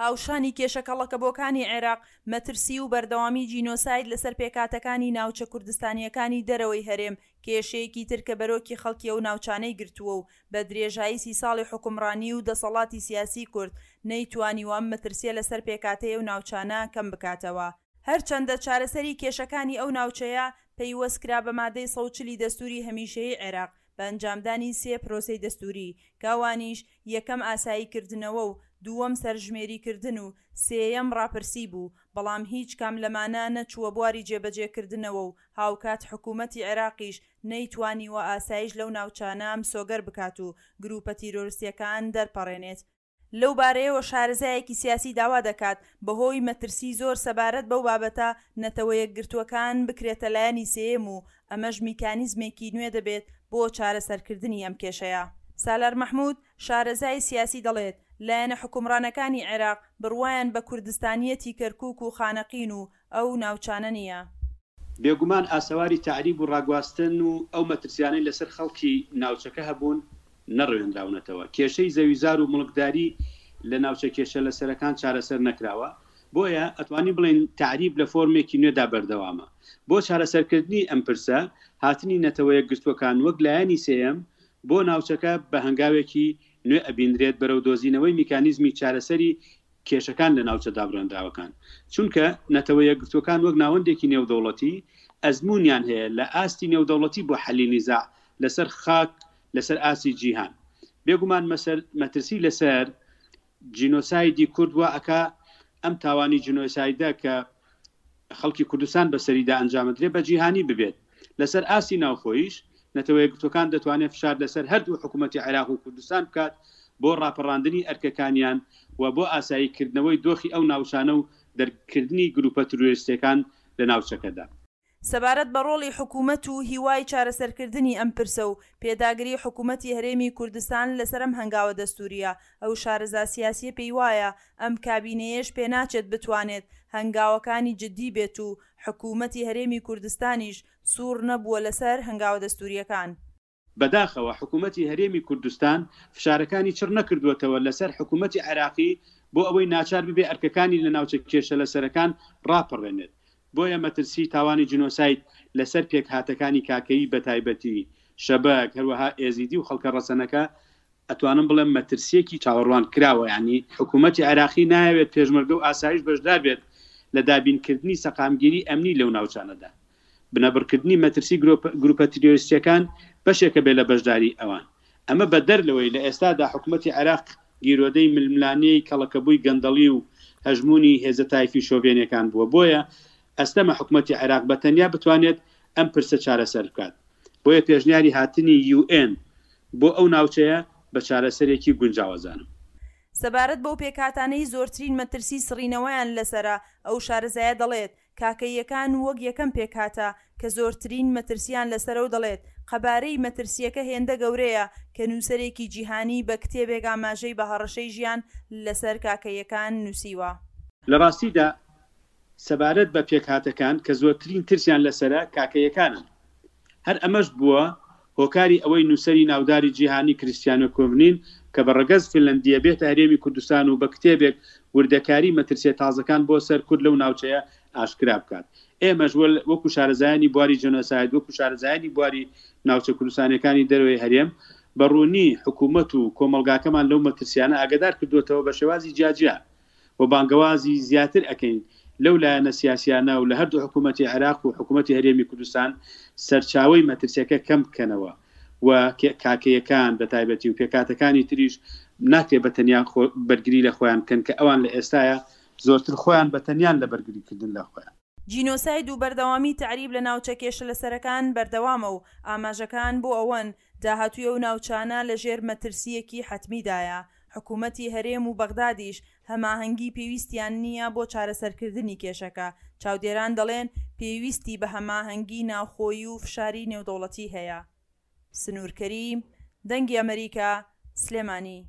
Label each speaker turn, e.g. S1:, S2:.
S1: هاوشانی کێشە کەڵەکەبووەکانی عێراق، مەترسی و بەردەوامی جینۆساید لەسەر پێکهاتەکانی ناوچە کوردستانییەکانی دەرەوەی هەرێم، کێشەیەکی تر کە بەرۆکی خەڵکی ئەو ناوچانەی گرتووە و بە درێژایی سی ساڵی حوکمڕانی و دەسەڵاتی سیاسی کورد نەیتوانیوە ئەم مەترسییە لەسەر پێکهاتەی ئەو ناوچانە کەم بکاتەوە. هەرچەندە چارەسەری کێشەکانی ئەو ناوچەیە پەیوەست کرا بە مادەی 140 ی دەستووری هەمیشەیی عێراق بە ئەنجامدانی سێ پرۆسەی دەستووری کە ئەوانیش یەکەم ئاسایی کردنەوە و دووەم سەرژمێری کردن و سێیەم ڕاپرسی بوو، بەڵام هیچ کام لەمانە نەچووە بواری جێبەجێ کردنەوە و هاوکات حکوومەتی عێراقیش نەیتوانیوە ئاسایش لەو ناوچانە مسۆگەر بکات و گرووپە تیرۆرستییەکان دەرپەڕێنێت. لەو بارەیەوە شارەزایەکی سیاسی داوا دەکات، بەهۆی مەترسی زۆر سەبارەت بەو بابەتە، نەتەوەیەکگرتووەکان بکرێتە لایەنی سێیەم و ئەمەش میکانیزمێکی نوێ دەبێت بۆ چارەسەرکردنی ئەم کێشەیە. سالار مەحمود، شارەزای سیاسی دەڵێت، لایەنە حوکمڕانەکانی عێراق بڕوایان بە کوردستانییەتی کەرکوک و خانەقین و ئەو ناوچانە نییە.
S2: بێگومان ئاسەواری تەعریب و ڕاگواستن و ئەو مەترسیانەی لەسەر خەڵکی ناوچەکە هەبوون نەڕەوێنراونەتەوە. کێشەی زەویزار و موڵکداری لە ناوچە کێشەلەسەرەکان چارەسەر نەکراوە. بۆیە ئەتوانین بڵێین تەعریب لە فۆرمێکی نوێدا بەردەوامە. بۆ چارەسەرکردنی ئەم پرسە، هاتنی نەتەوەیەکگرتووەکان وەک لایەنی سێیەم بۆ ناوچەکە بە هەنگاوێکی نوێ ئەبینرێت بەرەو دۆزینەوەی میکانیزمی چارەسەری کێشەکان لە ناوچە دابڕێنراوەکان، چونکە نەتەوە یەکگرتووەکان وەک ناوەندێکی نێودەوڵەتی ئەزموونیان هەیە لە ئاستی نێودەوڵەتی بۆ حەلی نیزاع لەسەر خاک لەسەر ئاستی جیهان. بێگومان مەترسی لەسەر جینۆسایدی کورد وا ئەکا ئەم تاوانی جینۆسایدە کە خەڵکی کوردستان بەسەریدا ئەنجامدرێ بە جیهانی ببێت. لەسەر ئاستی ناوخۆییش، نەتەوەیەکگرتووەکان دەتوانێت فشار لەسەر هەردوو حکوومەتی عێراق و کوردستان بکات بۆ ڕاپەڕاندنی ئەرکەکانیان و بۆ ئاسایی کردنەوەی دۆخی ئەو ناوچانە و دەرکردنی گرووپە ترۆریستییەکان لە ناوچەکەدا.
S1: سەبارەت بە ڕۆڵی حکوومەت و هیوای چارەسەرکردنی ئەم پرسە و پێداگری حکوومەتی هەرێمی کوردستان لەسەر ئەم هەنگاوە دەستوورییە، ئەو شارەزا سیاسییە پێیوایە ئەم کابینەیەش پێناچێت بتوانێت هەنگاوەکانی جددی بێت و حکوومەتی هەرێمی کوردستانیش سوور نەبووە لەسەر هەنگاوە دەستوورییەکان.
S2: بەداخەوە حکوومەتی هەرێمی کوردستان فشارەکانی چڕ نەکردووەتەوە لەسەر حکوومەتی عێراقی بۆ ئەوەی ناچار ببێ ئەرکەکانی لە ناوچە کێشەلەسەرەکان ڕاپەڕێنێت. بۆیە مەترسی تاوانی جینۆساید لەسەر پێکهاتەکانی کاکەیی بەتایبەتی، شەبەک، هەروەها ئێزیدی و خەڵکە ڕەسەنەکە ئەتوانم بڵێم مەترسییەکی چاوەڕوان کراوە، یانی حکوومەتی عێراقی نایەوێت پێشمەرگە و ئاسایش بەشدار بێت لە دابینکردنی سەقامگیری ئەمنی لەو ناوچانەدا. بنەبڕکردنی مەترسی گروپە تیرۆریستییەکان بەشێکە بێ لە بەشداریی ئەوان. ئەمە بەدەر لەوەی لە ئێستادا حکومەتی عێراق گیرۆدەی ململانێی کەڵەکەبووی گەندەڵی و هەژموونی هێزە تایفی شۆڤێنیەکان بووە، بۆیە ئەستەمە حکومەتی عێراق بە تەنیا بتوانێت ئەم پرسە چارەسەر بکات. بۆیە پێشنیاری هاتنی یوئێن بۆ ئەو ناوچەیە بە چارەسەرێکی گونجاو ئەزانم.
S1: سەبارەت بەو پێکهاتانەی زۆرترین مەترسی سڕینەوەیان لەسەرە، ئەو شارەزایە دەڵێت، کاکەییەکان وەک یەکەم پێکهاتە کە زۆرترین مەترسییان لەسەرە و دەڵێت، قەبارەی مەترسییەکە هێندە گەورەیە کە نووسەرێکی جیهانی بە کتێبێک ئاماژەی بە هەڕەشەی ژیان لەسەر کاکەییەکان نووسیوە.
S2: لە ڕاستیدا سەبارەت بە پێکهاتەکان کە زۆرترین ترسیان لەسەرە کاکەییەکانن. هەر ئەمەش بووە هۆکاری ئەوەی نووسەری ناوداری جیهانی کریستیانۆ کۆڤنین کە بە ڕەگەز فینلەندییە بێتە هەرێمی کوردستان و بە کتێبێک وردەکاری مەترسییە تازەکان بۆ سەر کورد لەو ناوچەیە ئاشکرا بکات. ئێمەش وەکو شارەزایانی بواری جێنۆساید، وەکو شارەزایانی بواری ناوچە کوردستانییەکانی دەرەوەی هەرێم بە ڕوونی حکوومەت و کۆمەڵگاکەمان لەو مەترسییانە ئاگادار کردووەتەوە بە شێوازی جیاجیا. و بانگەوازی زیاتر ئەکەین لەو لایەنە سیاسیانە و لە هەردوو حکوومەتی عێراق و حکوومەتی هەرێمی کوردستان سەرچاوەی مەترسیەکە کەم بکەنەوە و کاکەیەکان بە تایبەتی و پێکهاتەکانی تریش ناکرێت بە تەنیا بەرگری لە خۆیان بکەن کە ئەوان لە ئێستایا زۆرتر خۆیان بە تەنیان لە بەرگری کردن لە خۆیان.
S1: جینۆساید و بەردەوامی تەعریب لە ناوچە کێشەلەسەرەکان بەردەوامە و ئاماژەکان بۆ ئەوەن داهاتووی ئەو ناوچانە لەژێر مەترسییەکی حەتمیدایە، حکومەتی هەرێم و بەغدادیش هەماهەنگی پێویستیان نییە بۆ چارەسەرکردنی کێشەکە، چاودێران دەڵێن پێویستی بە هەماهەنگی ناوخۆیی و فشاری نێودەوڵەتی هەیە. سنوور کەریم، دەنگی ئەمەریکا، سلێمانی.